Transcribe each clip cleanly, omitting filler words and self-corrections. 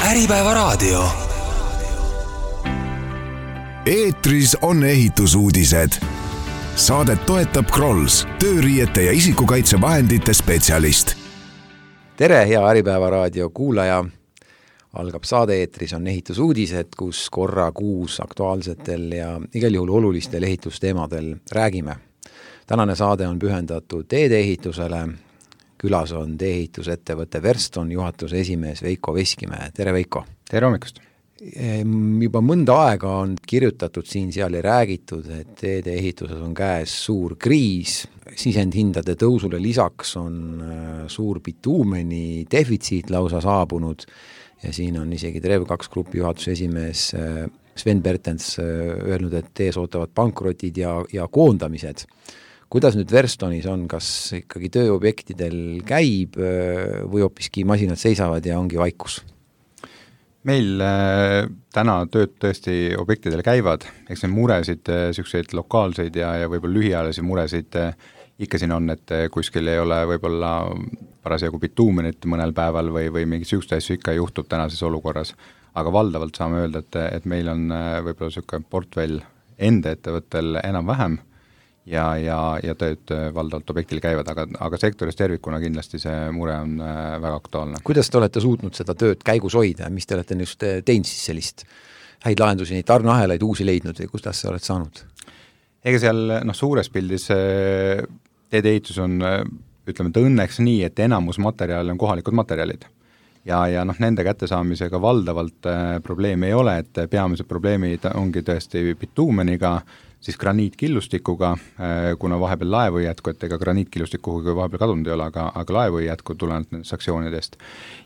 Äripäevaraadio. Eetris on ehitusuudised. Saadet toetab Krolls, tööriiete ja isikukaitsevahendite spetsialist. Tere, hea Äripäevaraadio kuulaja. Algab saade Eetris on ehitusuudised, kus korra kuus aktuaalsetel ja igal juhul olulistel ehitusteemadel räägime. Tänane saade on pühendatud teedeehitusele. Külas on tee-ehitusettevõtte Verston juhatuse esimees Veiko Veskimäe. Tere, Veiko! Tere hommikust! Juba mõnda aega on kirjutatud siin-seal ja räägitud, et teedeehituses on käes suur kriis. Sisendhindade tõusule lisaks on suur bituumeni defitsiit lausa saabunud ja siin on isegi Trev2 grupi juhatuse esimees Sven Bertens öelnud, et ees ootavad pankrotid ja koondamised. Kuidas nüüd Verstonis on, kas ikkagi tööobjektidel käib või hoopiski masinad seisavad ja ongi vaikus? Meil täna tööd tõesti objektidel käivad, eks need muresid, selliseid lokaalseid ja võib-olla lühiajalisi muresid ikka siin on, et kuskil ei ole võib-olla parasjagu bituumenit mõnel päeval või mingi selliseid asju ikka juhtub tänases olukorras, aga valdavalt saame öelda, et meil on võib-olla selline portfell enda ettevõttel enam-vähem ja tööd valdavalt objektil käivad, aga sektoris tervikuna kindlasti see mure on väga aktuaalne. Kuidas te olete suutnud seda tööd käigus hoida? Mis te olete just teinud siis sellist häid lahendusi, neid tarneahelaid uusi leidnud või kuidas sa oled saanud? Ega seal suures pildis teedeehitus on, ütleme, et õnneks nii, et enamus materjali on kohalikud materjalid. Ja nende kättesaamisega valdavalt probleemi ei ole, et peamised probleemid ongi tõesti bituumeniga, siis graniitkillustikuga, kuna vahepeal laevu ei jätku, et ega graniitkillustikuga vahepeal kadunud ei ole, aga laevu ei jätku tulenevalt nendest sanktsioonidest.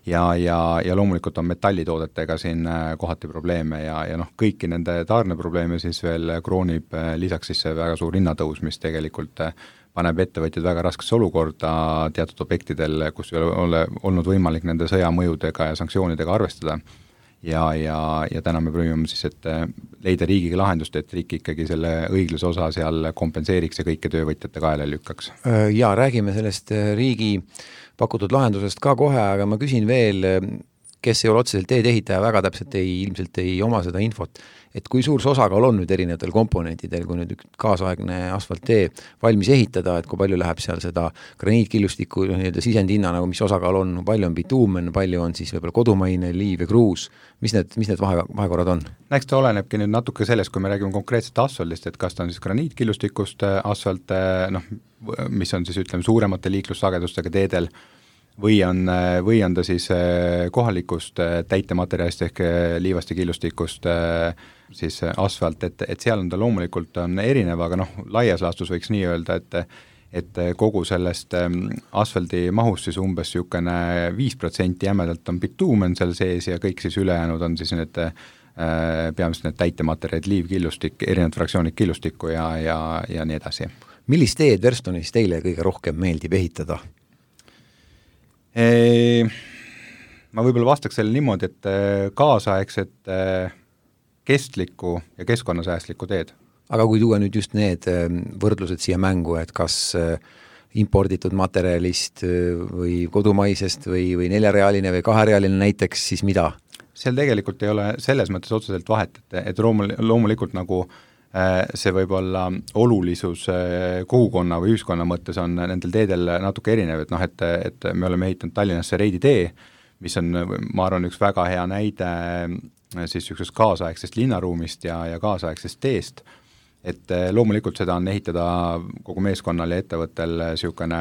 Ja loomulikult on metallitoodetega siin kohati probleeme ja kõiki nende tarneprobleeme siis veel kroonib lisaks siis see väga suur hinnatõus, mis tegelikult paneb ettevõtjad väga raskesse olukorda teatud objektidel, kus ei ole olnud võimalik nende sõjamõjudega ja sanktsioonidega arvestada. Ja täna me proovime siis, et leida riigiga lahendust, et riik ikkagi selle õigluse osa seal kompenseeriks ja kõike töövõtjate kaela lükkaks. Ja räägime sellest riigi pakutud lahendusest ka kohe, aga ma küsin veel, kes ei ole otseselt teedehitaja, väga täpselt ilmselt ei oma seda infot, et kui suur osakaal on nüüd erinevatel komponentidel, kui nüüd kaasaegne asfalttee valmis ehitada, et kui palju läheb seal seda graniitkillustiku sisendhinna, nagu mis osakaal on, palju on bituumen, palju on siis võib-olla kodumaine, liiv ja kruus, mis need vahekorrad on? Eks ta olenebki nüüd natuke sellest, kui me räägime konkreetselt asfaltist, et kas ta on siis graniitkillustikust asfalt, mis on siis ütleme suuremate liiklussagedustega teedel, või on ta siis kohalikust täitematerjalist ehk liivast ja killustikust siis asfalt, et seal on ta loomulikult on erinev, aga laias laastus võiks nii öelda, et kogu sellest asfaldi mahust siis umbes 5% jämedalt on bituumen seal sees ja kõik siis ülejäänud on siis need peamiselt need täitematerjalid, liiv, killustik, erinevad fraktsioonid killustikku ja nii edasi. Millist teed Verstonis teile kõige rohkem meeldib ehitada? Ma võib-olla vastaks selle niimoodi, et kaasaegset kestlikku ja keskkonnasäästlikku teed. Aga kui tuua nüüd just need võrdlused siia mängu, et kas imporditud materjalist või kodumaisest või neljarealine või kaherealine näiteks, siis mida? Seal tegelikult ei ole selles mõttes otseselt vahet, et loomulikult nagu see võib olla olulisus kogukonna või ühiskonna mõttes on nendel teedel natuke erinev, et me oleme ehitanud Tallinnasse Reidi tee, mis on, ma arvan, üks väga hea näide siis niisugusest kaasaegsest linnaruumist ja kaasaegsest teest, et loomulikult seda on ehitada kogu meeskonnal ja ettevõttel niisugune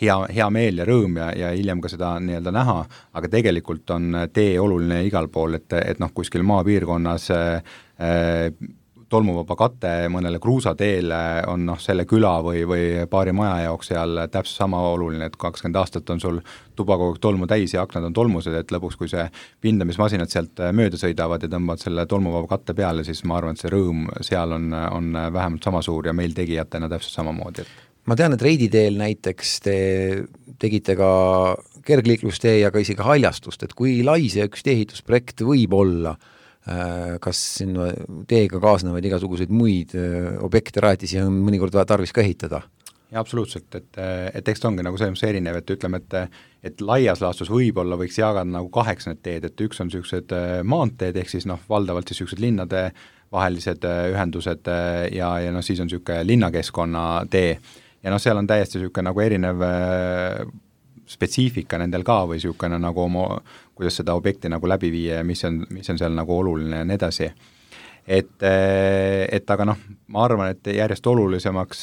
hea meel ja rõõm ja hiljem ka seda nii-öelda näha, aga tegelikult on tee oluline igal pool, et kuskil maapiirkonnas tolmuvaba kate mõnele kruusateele on selle küla või paari maja jaoks seal täpselt sama oluline, et 20 aastat on sul tuba kogu tolmu täis ja aknad on tolmused, et lõpuks, kui see pindamismasinad sealt mööda sõidavad ja tõmbavad selle tolmuvaba katte peale, siis ma arvan, et see rõõm seal on vähemalt sama suur ja meil tegijatena täpselt samamoodi. Ma tean, et Reidi teel näiteks te tegite ka kergliiklustee ja ka isegi haljastust, et kui lai see üks teehitusprojekt võib olla, kas teega kaasnevad igasuguseid muid objekte rajatisi on mõnikord tarvis ka ehitada? Ja absoluutselt, et eks ta ongi nagu selles erinev, et ütleme, et laias laastus võib-olla võiks jagada nagu 8 need teed, et üks on niisugused maanteed, ehk siis valdavalt siis niisugused linnade vahelised ühendused ja siis on niisugune linnakeskkonna tee ja seal on täiesti niisugune nagu erinev spetsiifika nendel ka või niisugune nagu kuidas seda objekti nagu läbi viia ja mis on seal nagu oluline ja nii edasi. Et aga ma arvan, et järjest olulisemaks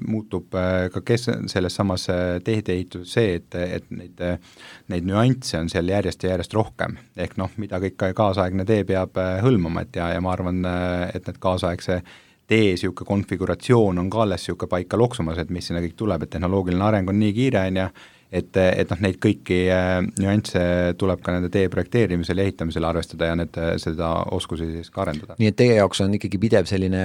muutub ka selles samas teedeehituses see, et neid nüansse on seal järjest ja järjest rohkem. Ehk mida kõik kaasaegne tee peab hõlmama, ja ma arvan, et need kaasaegse tee siuke konfiguratsioon on ka alles siuke paika loksumas, et mis sinna kõik tuleb, et tehnoloogiline areng on nii kiire, et neid kõiki nüansse tuleb ka nende tee projekteerimisel ja ehitamisel arvestada ja seda oskusi siis ka arendada. Nii et teie jaoks on ikkagi pidev selline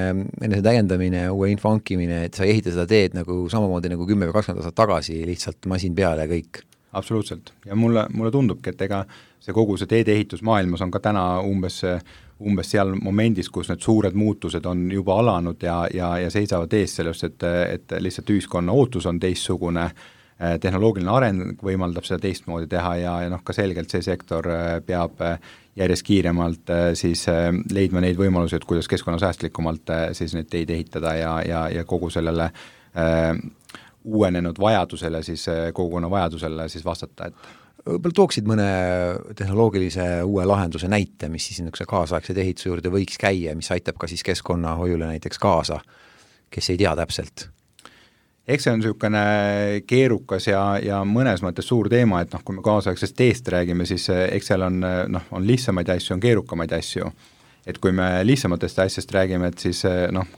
enese täiendamine, uue info hankimine, et sa ei ehita seda teed nagu samamoodi nagu 10 või 20 aastat tagasi, lihtsalt masin peale ja kõik? Absoluutselt. Ja mulle tundubki, et ega see kogu see teedeehitusmaailmas on ka täna umbes seal momendis, kus need suured muutused on juba alanud ja seisavad ees sellest, et lihtsalt ühiskonna ootus on teistsugune, tehnoloogiline areng võimaldab seda teistmoodi teha ja ka selgelt see sektor peab järjest kiiremalt siis leidma neid võimalusi, et kuidas keskkonnasäästlikumalt siis neid teid ehitada ja kogu sellele uuenenud vajadusele, siis kogukonna vajadusele siis vastata, et võib-olla tooksid mõne tehnoloogilise uue lahenduse näite, mis siis niisuguse kaasaegse ehituse juurde võiks käia, mis aitab ka siis keskkonnahoiule näiteks kaasa, kes ei tea täpselt? Eks see on niisugune keerukas ja mõnes mõttes suur teema, et kui me kaasaegsest teest räägime, siis eks seal on lihtsamaid asju, on keerukamaid asju. Et kui me lihtsamatest asjast räägime, et siis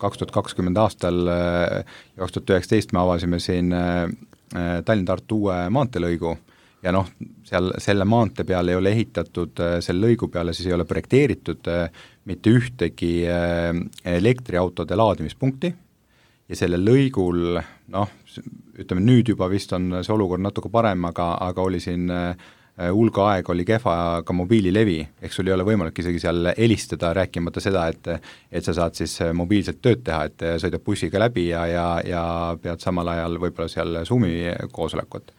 2020 aastal ja 2019 me avasime siin Tallinna-Tartu uue maanteelõigu ja seal selle maantee peale ei ole ehitatud, selle lõigu peale siis ei ole projekteeritud mitte ühtegi elektriautode laadimispunkti ja selle lõigul, ütleme nüüd juba vist on see olukord natuke parem, aga oli siin hulga aeg oli kehva ka mobiililevi, ehk sul ei ole võimalik isegi seal helistada, rääkimata seda, et sa saad siis mobiilselt tööd teha, et sõidab bussiga läbi ja pead samal ajal võib-olla seal Zoomi koosolekut.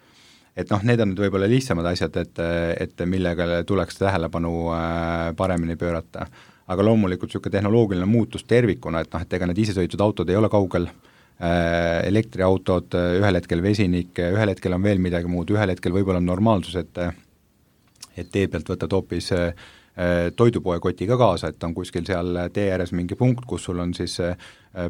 Et need on nüüd võib-olla lihtsamad asjad, et millega tuleks tähelepanu paremini pöörata. Aga loomulikult niisugune tehnoloogiline muutus tervikuna, et ega need isesõitud autod ei ole kaugel, elektriautod, ühel hetkel vesinik, ühel hetkel on veel midagi muud, ühel hetkel võib-olla on normaalsus, et tee pealt võtad hoopis toidupoe kotiga kaasa, et on kuskil seal tee ääres mingi punkt, kus sul on siis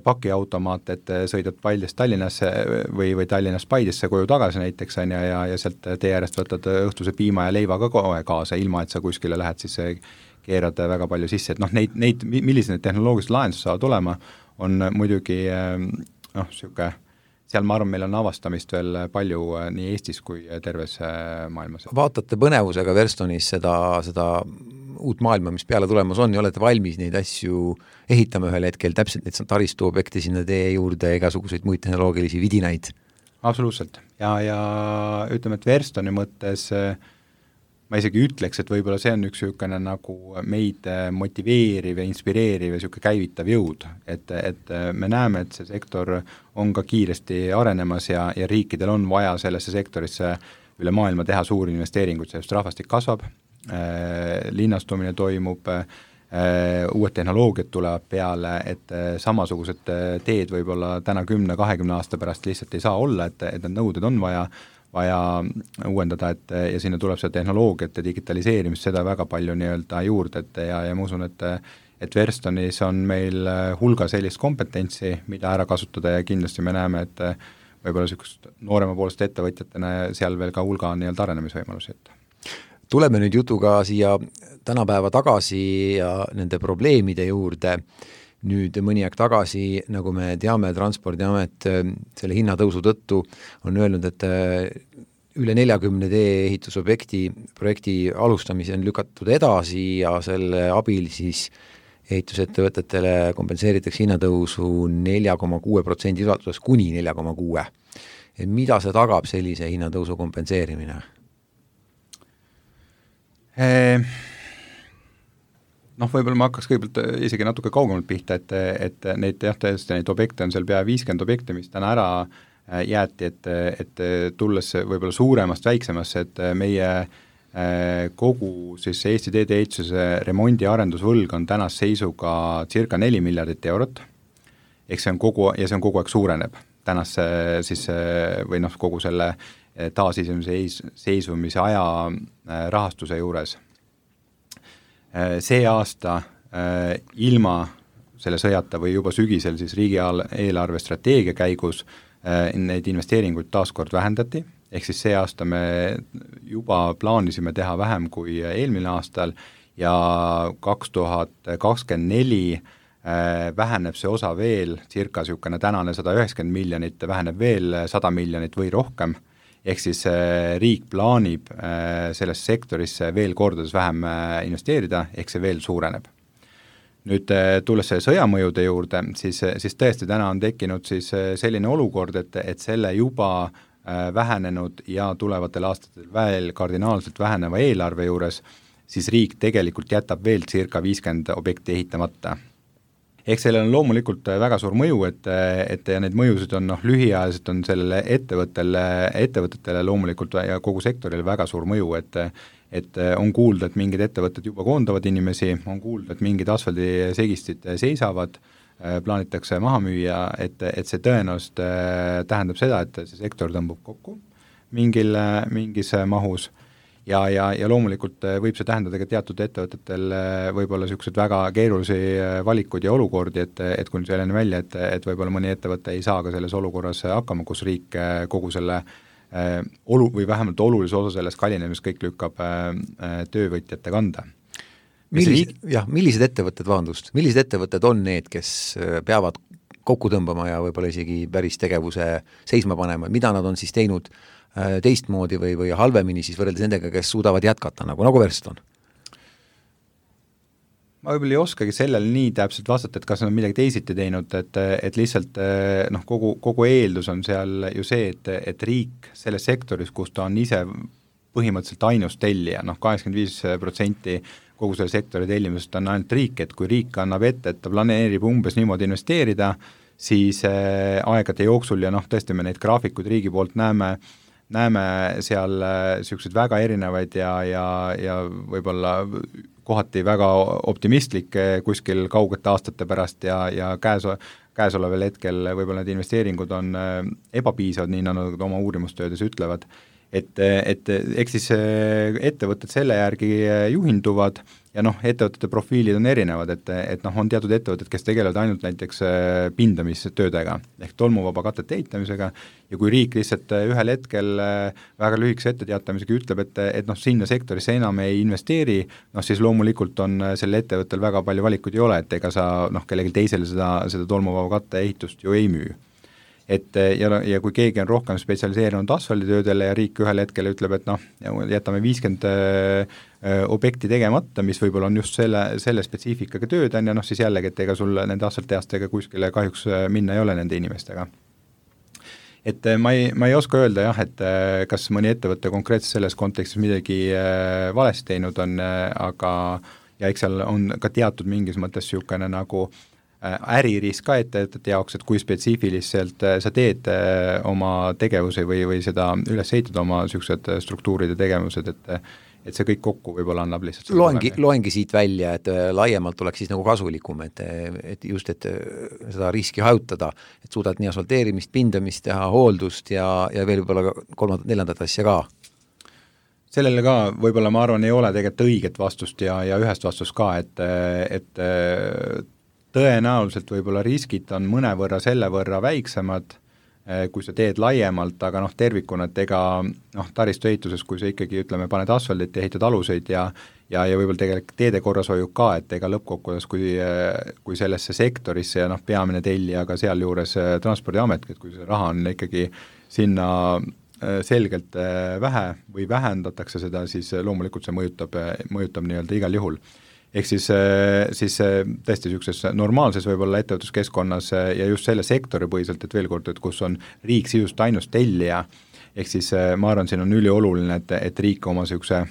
pakiautomaat, et sõidad Paidest Tallinnasse või Tallinnast Paidesse koju tagasi näiteks ja sealt tee äärest võtad õhtuse piima ja leiva ka kohe kaasa, ilma et sa kuskile lähed siis keerad väga palju sisse, et millised need tehnoloogilised lahendused saavad olema, on muidugi seal ma arvan, meil on avastamist veel palju nii Eestis kui terves maailmas. Vaatate põnevusega Verstonis seda uut maailma, mis peale tulemas on ja olete valmis neid asju ehitama ühel hetkel, täpselt neid taristuobjekte sinna tee juurde, igasuguseid muid tehnoloogilisi vidinaid? Absoluutselt. Ja ütleme, et Verstoni mõttes ma isegi ütleks, et võib-olla see on üks niisugune nagu meid motiveeriv ja inspireeriv ja niisugune käivitav jõud, et me näeme, et see sektor on ka kiiresti arenemas ja riikidel on vaja sellesse sektorisse üle maailma teha suuri investeeringuid, sest rahvastik kasvab, linnastumine toimub, uued tehnoloogiad tulevad peale, et samasugused teed võib-olla täna 10-20 aasta pärast lihtsalt ei saa olla, et need nõuded on vaja uuendada, ja sinna tuleb see tehnoloogiat ja digitaliseerimist, seda väga palju nii-öelda juurde, ja ma usun, et Verstonis on meil hulga sellist kompetentsi, mida ära kasutada ja kindlasti me näeme, et võib-olla niisugust nooremapoolsete ettevõtjatena seal veel ka hulga nii-öelda arenemisvõimalusi. Tuleme nüüd jutuga siia tänapäeva tagasi ja nende probleemide juurde. Nüüd mõni aeg tagasi, nagu me teame, Transpordiamet selle hinnatõusu tõttu on öelnud, et üle 40 tee-ehitusobjekti alustamise on lükatud edasi ja selle abil siis ehitusettevõtetele kompenseeritakse hinnatõusu 4,6% ulatuses kuni 4,6%. Mida see tagab sellise hinnatõusu kompenseerimine? Võib-olla ma hakkaks kõigepealt isegi natuke kaugemalt pihta, et neid objekte on seal pea 50 objekte, mis täna ära jäeti, et tulles võib-olla suuremast väiksemasse, et meie kogu siis Eesti teedeehituse remondi arendusvõlg on tänase seisuga circa 4 miljardit eurot, ehk see on kogu aeg suureneb tänase siis või noh, kogu selle taasiseseisvumise seisvumise aja rahastuse juures. See aasta ilma selle sõjata või juba sügisel siis riigi eelarve strateegia käigus neid investeeringuid taaskord vähendati, ehk siis see aasta me juba plaanisime teha vähem kui eelmine aastal ja 2024 väheneb see osa veel, circa niisugune tänane 190 miljonit, väheneb veel 100 miljonit või rohkem, ehk siis riik plaanib sellesse sektorisse veel kordades vähem investeerida, ehk see veel suureneb. Nüüd tulles selle sõjamõjude juurde, siis tõesti täna on tekkinud siis selline olukord, et selle juba vähenenud ja tulevatel aastatel veel kardinaalselt väheneva eelarve juures, siis riik tegelikult jätab veel circa 50 objekti ehitamata. Ehk sellel on loomulikult väga suur mõju, et ja need mõjusid on lühiajaliselt on sellele ettevõtetele loomulikult ja kogu sektorile väga suur mõju, et on kuulda, et mingid ettevõtted juba koondavad inimesi, on kuulda, et mingid asfaldisegistid seisavad, plaanitakse maha müüa, et see tõenäoliselt tähendab seda, et see sektor tõmbub kokku mingis mahus ja loomulikult võib see tähendada ka teatud ettevõtetel võib-olla niisugused väga keerulisi valikuid ja olukordi, et kui selline välja, et võib-olla mõni ettevõte ei saa ka selles olukorras hakkama, kus riik kogu selle või vähemalt olulise osa sellest kallinemist kõik lükkab töövõtjate kanda. Millised ettevõtted on need, kes peavad kokku tõmbama ja võib-olla isegi päris tegevuse seisma panema, mida nad on siis teinud teistmoodi või halvemini siis võrreldes nendega, kes suudavad jätkata, nagu Verston? Ma võib-olla ei oskagi sellele nii täpselt vastata, et kas on midagi teisiti teinud, et lihtsalt kogu eeldus on seal ju see, et riik selles sektoris, kus ta on ise põhimõtteliselt ainus tellija, 85% kogu selle sektori tellimusest on ainult riik, et kui riik annab ette, et ta planeerib umbes niimoodi investeerida, siis aegade jooksul ja tõesti me neid graafikuid riigi poolt näeme seal niisuguseid väga erinevaid ja võib-olla kohati väga optimistlik kuskil kaugete aastate pärast ja käesoleval hetkel võib-olla need investeeringud on ebapiisavad, nii nagu nad oma uurimustöödes ütlevad, et eks siis ettevõtted selle järgi juhinduvad ja ettevõtete profiilid on erinevad, et on teatud ettevõtted, kes tegelevad ainult näiteks pindamistöödega ehk tolmuvaba katete ehitamisega ja kui riik lihtsalt ühel hetkel väga lühikese etteteatamisega ütleb, et sinna sektorisse enam ei investeeri, siis loomulikult on sellel ettevõttel väga palju valikuid ei ole, et ega sa kellelgi teisele seda tolmuvaba katte ehitust ju ei müü. Ja kui keegi on rohkem spetsialiseerunud asfalditöödele ja riik ühel hetkel ütleb, et jätame 50 objekti tegemata, mis võib-olla on just selle spetsiifikaga tööd, siis jällegi, et ega sul nende asfaltteastega kuskile kahjuks minna ei ole nende inimestega. Et ma ei oska öelda jah, et kas mõni ettevõte konkreetselt selles kontekstis midagi valesti teinud on, aga ja eks seal on ka teatud mingis mõttes niisugune nagu äririsk ka ettevõtete jaoks, et kui spetsiifiliselt sa teed oma tegevusi või seda üles ehitad oma niisugused struktuurid ja tegevused, et see kõik kokku võib-olla annab lihtsalt loengi siit välja, et laiemalt oleks siis nagu kasulikum, et just, et seda riski hajutada, et suudad nii asfalteerimist, pindamist teha, hooldust ja veel võib-olla 3-4 asja ka. Sellele ka võib-olla ma arvan, ei ole tegelikult õiget vastust ja ühest vastust ka, et tõenäoliselt võib-olla riskid on mõnevõrra selle võrra väiksemad, kui sa teed laiemalt, aga tervikuna, et ega taristu ehituses, kui sa ikkagi paned asfaldit ja ehitad aluseid ja võib-olla tegelikult teede korrashoiu ka, et ega lõppkokkuvõttes, kui sellesse sektorisse ja peamine tellija ka sealjuures Transpordiamet, et kui see raha on ikkagi sinna selgelt vähe või vähendatakse seda, siis loomulikult see mõjutab nii-öelda igal juhul. Ehk siis tõesti niisuguses normaalses võib-olla ettevõtluskeskkonnas ja just selle sektori põhiselt, et veel kord, et kus on riik sisust ainus tellija, ehk siis ma arvan, siin on ülioluline, et riik oma niisuguse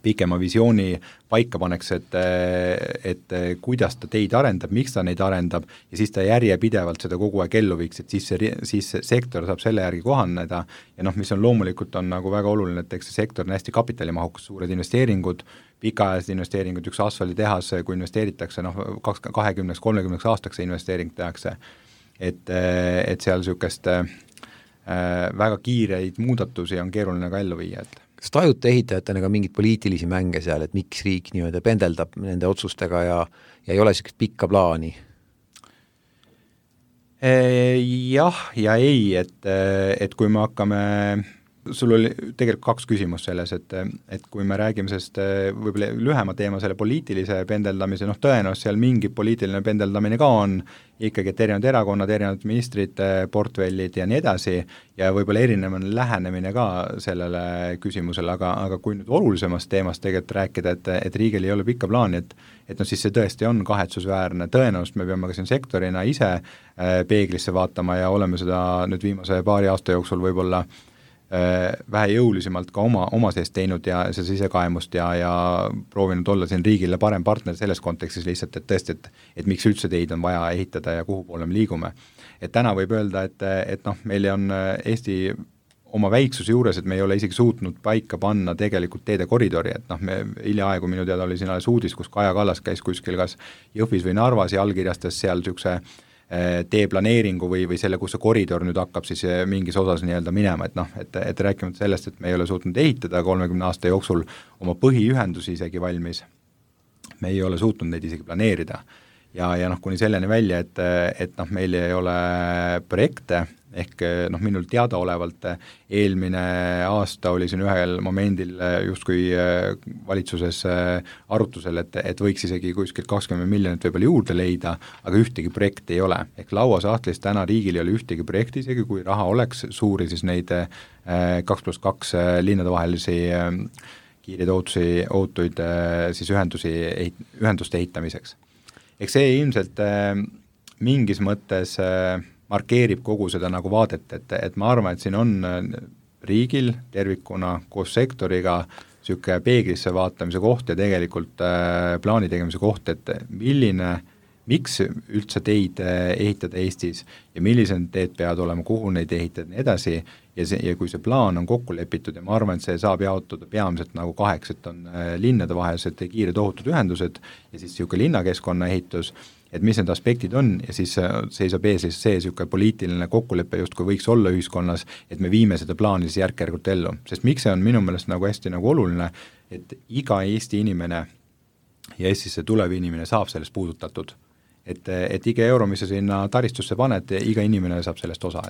pikema visiooni paika paneks, et kuidas ta teid arendab, miks ta neid arendab ja siis ta järjepidevalt seda kogu aeg ellu viiks, et siis see sektor saab selle järgi kohaneda ja noh, mis on loomulikult on nagu väga oluline, et eks see sektor on hästi kapitalimahukas, suured investeeringud, pikaajalised investeeringud, üks asfalditehas, kui investeeritakse, 20-30 aastaks see investeering tehakse, et seal niisugust väga kiireid muudatusi on keeruline ka ellu viia, et kas tajute ehitajatena ka mingeid poliitilisi mänge seal, et miks riik niimoodi pendeldab nende otsustega ja ei ole sellist pikka plaani? Jah ja ei, et kui me hakkame, sul oli tegelikult 2 küsimust selles, et kui me räägime sellest võib-olla lühema teema selle poliitilise pendeldamise, tõenäoliselt seal mingi poliitiline pendeldamine ka on, ikkagi, et erinevad erakonnad, erinevad ministrite portfellid ja nii edasi ja võib-olla erinev on lähenemine ka sellele küsimusele, aga kui nüüd olulisemast teemast tegelikult rääkida, et riigil ei ole pikka plaani, et siis see tõesti on kahetsusväärne, tõenäoliselt me peame ka siin sektorina ise peeglisse vaatama ja oleme seda nüüd viimase paari aasta jooksul võib-olla vähe jõulisemalt ka oma sees teinud ja see sisekaemust ja proovinud olla siin riigile parem partner selles kontekstis lihtsalt, et tõesti, et miks üldse teid on vaja ehitada ja kuhu poole me liigume. Et täna võib öelda, et meil on Eesti oma väiksuse juures, et me ei ole isegi suutnud paika panna tegelikult teede koridori, et me hiljaaegu minu teada oli siin alles uudis, kus Kaja Kallas käis kuskil kas Jõhvis või Narvas ja allkirjastas seal niisuguse teeplaneeringu või selle, kus see koridor nüüd hakkab siis mingis osas nii-öelda minema, et rääkimata sellest, et me ei ole suutnud ehitada 30 aasta jooksul oma põhiühendusi isegi valmis, me ei ole suutnud neid isegi planeerida ja kuni selleni välja, et meil ei ole projekte, ehk minul teadaolevalt eelmine aasta oli siin ühel momendil justkui valitsuses arutusel, et võiks isegi kuskilt 20 miljonit võib-olla juurde leida, aga ühtegi projekti ei ole. Ehk lauasahtlis täna riigil ei ole ühtegi projekti, isegi kui raha oleks suuri, siis neid 2+2 linnade vahelisi kiireid ootuid siis ühenduste ehitamiseks. Eks see ilmselt mingis mõttes markeerib kogu seda nagu vaadet, et ma arvan, et siin on riigil tervikuna koos sektoriga niisugune peeglisse vaatamise koht ja tegelikult plaani tegemise koht, et miks üldse teid ehitada Eestis ja millised teed peavad olema, kuhu neid ehitada ja nii edasi ja kui see plaan on kokku lepitud ja ma arvan, et see saab jaotuda peamiselt nagu 2, et on linnade vahelised kiired ohutud ühendused ja siis niisugune linnakeskkonna ehitus, et mis need aspektid on ja siis seisab ees see niisugune poliitiline kokkulepe justkui võiks olla ühiskonnas, et me viime seda plaani siis järk-järgult ellu. Sest miks see on minu meelest nagu hästi nagu oluline, et iga Eesti inimene ja Eestisse tulev inimene saab sellest puudutatud. Et iga euro, mis sa sinna taristusse paned, iga inimene saab sellest osa,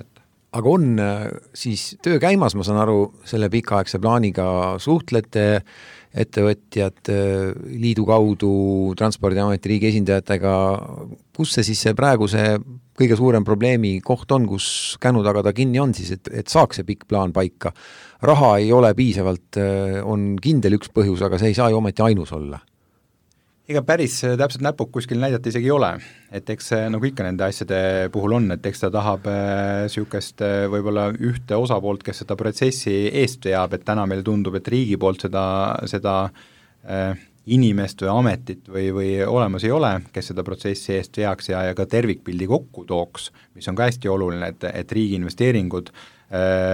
Aga on siis töö käimas, ma saan aru, selle pikaaegse plaaniga suhtlete ettevõtjad liidu kaudu, Transpordiameti riigi esindajatega, kus see siis praegu see kõige suurem probleemi koht on, kus känu taga ta kinni on siis, et saaks see pikk plaan paika. Raha ei ole piisavalt, on kindel üks põhjus, aga see ei saa ju ometi ainus olla. Ega päris täpselt näpuk kuskil näidata isegi ei ole, et eks nagu ikka nende asjade puhul on, et eks ta tahab niisugust võib-olla ühte osapoolt, kes seda protsessi eest veab, et täna meile tundub, et riigi poolt seda inimest või ametit või olemas ei ole, kes seda protsessi eest veaks ja ka tervikpildi kokku tooks, mis on ka hästi oluline, et riigi investeeringud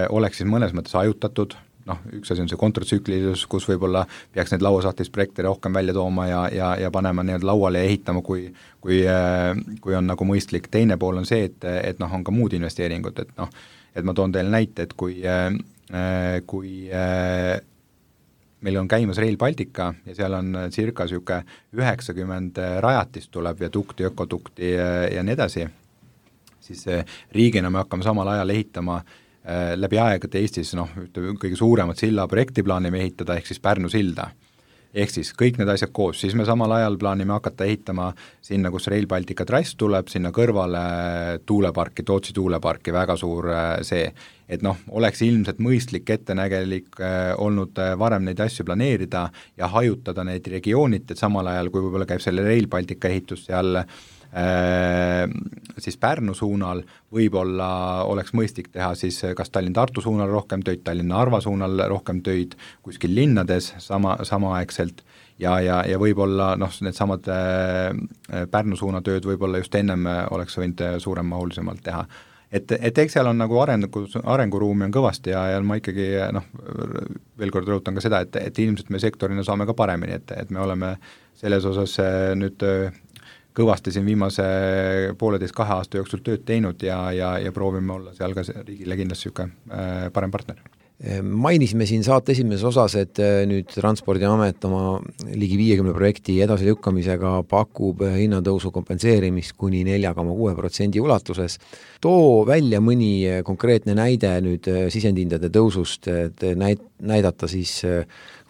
oleks siis mõnes mõttes ajutatud, üks asi on see kontratsüklilisus, kus võib-olla peaks need lauasahtlist projekte rohkem välja tooma ja panema nii-öelda lauale ja ehitama, kui on nagu mõistlik. Teine pool on see, et on ka muud investeeringud, et ma toon teile näite, et kui meil on käimas Rail Baltica ja seal on circa 90 rajatist tuleb viadukti, ökodukti ja nii edasi, siis riigina me hakkame samal ajal ehitama läbi aegade Eestis kõige suuremat silla projekti plaanime ehitada, ehk siis Pärnu silda. Ehk siis kõik need asjad koos, siis me samal ajal plaanime hakata ehitama sinna, kus Rail Baltica trass tuleb, sinna kõrvale tuuleparki, Tootsi tuuleparki, väga suur see, et oleks ilmselt mõistlik ettenägelik olnud varem neid asju planeerida ja hajutada neid regioonid, et samal ajal, kui võib-olla käib selle Rail Baltica ehitus seal siis Pärnu suunal, võib-olla oleks mõistlik teha siis kas Tallinn-Tartu suunal rohkem töid, Tallinn-Narva suunal rohkem töid, kuskil linnades samaaegselt ja võib-olla needsamad Pärnu suuna tööd võib-olla just ennem oleks võinud suuremmahulisemalt teha. Et eks seal on nagu arenguruumi on kõvasti ja ma ikkagi veel kord rõhutan ka seda, et ilmselt me sektorina saame ka paremini, et me oleme selles osas nüüd kõvasti siin viimase 1,5–2 aasta jooksul tööd teinud ja proovime olla seal ka riigile kindlasti niisugune parem partner. Mainisime siin saate esimeses osas, et nüüd Transpordiamet oma ligi 50 projekti edasilükkamisega pakub hinnatõusu kompenseerimist kuni 4,6% ulatuses. Too välja mõni konkreetne näide nüüd sisendhindade tõusust, et näidata siis,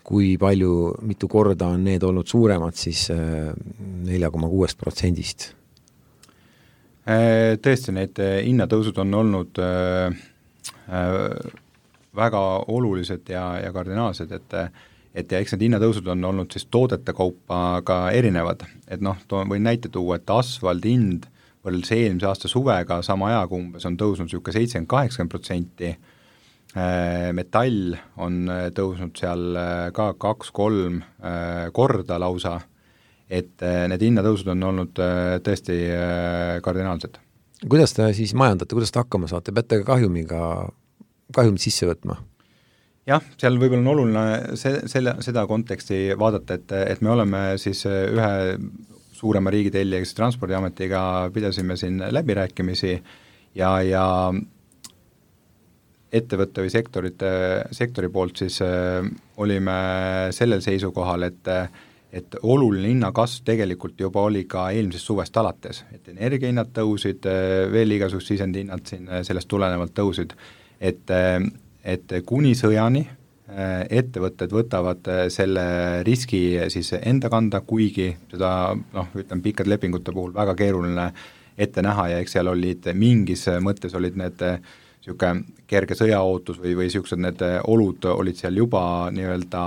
kui palju, mitu korda on need olnud suuremad siis 4,6%-st. Tõesti, need hinnatõusud on olnud väga olulised ja kardinaalsed, et eks need hinnatõusud on olnud siis toodete kaupa ka erinevad, et võin näite tuua, et asfaldi hind võrreldes eelmise aasta suvega sama ajaga umbes on tõusnud niisugune 70-80%, metall on tõusnud seal ka 2-3 korda lausa, et need hinnatõusud on olnud tõesti kardinaalsed. Kuidas te siis majandate, kuidas te hakkama saate, peate ka kahjumit sisse võtma? Jah, seal võib-olla on oluline seda konteksti vaadata, et me oleme siis ühe suurema riigitellijaga, siis Transpordiametiga pidasime siin läbirääkimisi ja ettevõtte või sektori poolt siis olime sellel seisukohal, et oluline hinnakasv tegelikult juba oli ka eelmisest suvest alates, et energiahinnad tõusid, veel igasugused sisendhinnad siin sellest tulenevalt tõusid, et kuni sõjani ettevõtted võtavad selle riski siis enda kanda, kuigi seda ütleme pikkade lepingute puhul väga keeruline ette näha ja eks seal olid mingis mõttes olid need niisugune kerge sõjaootus või niisugused need olud olid seal juba nii-öelda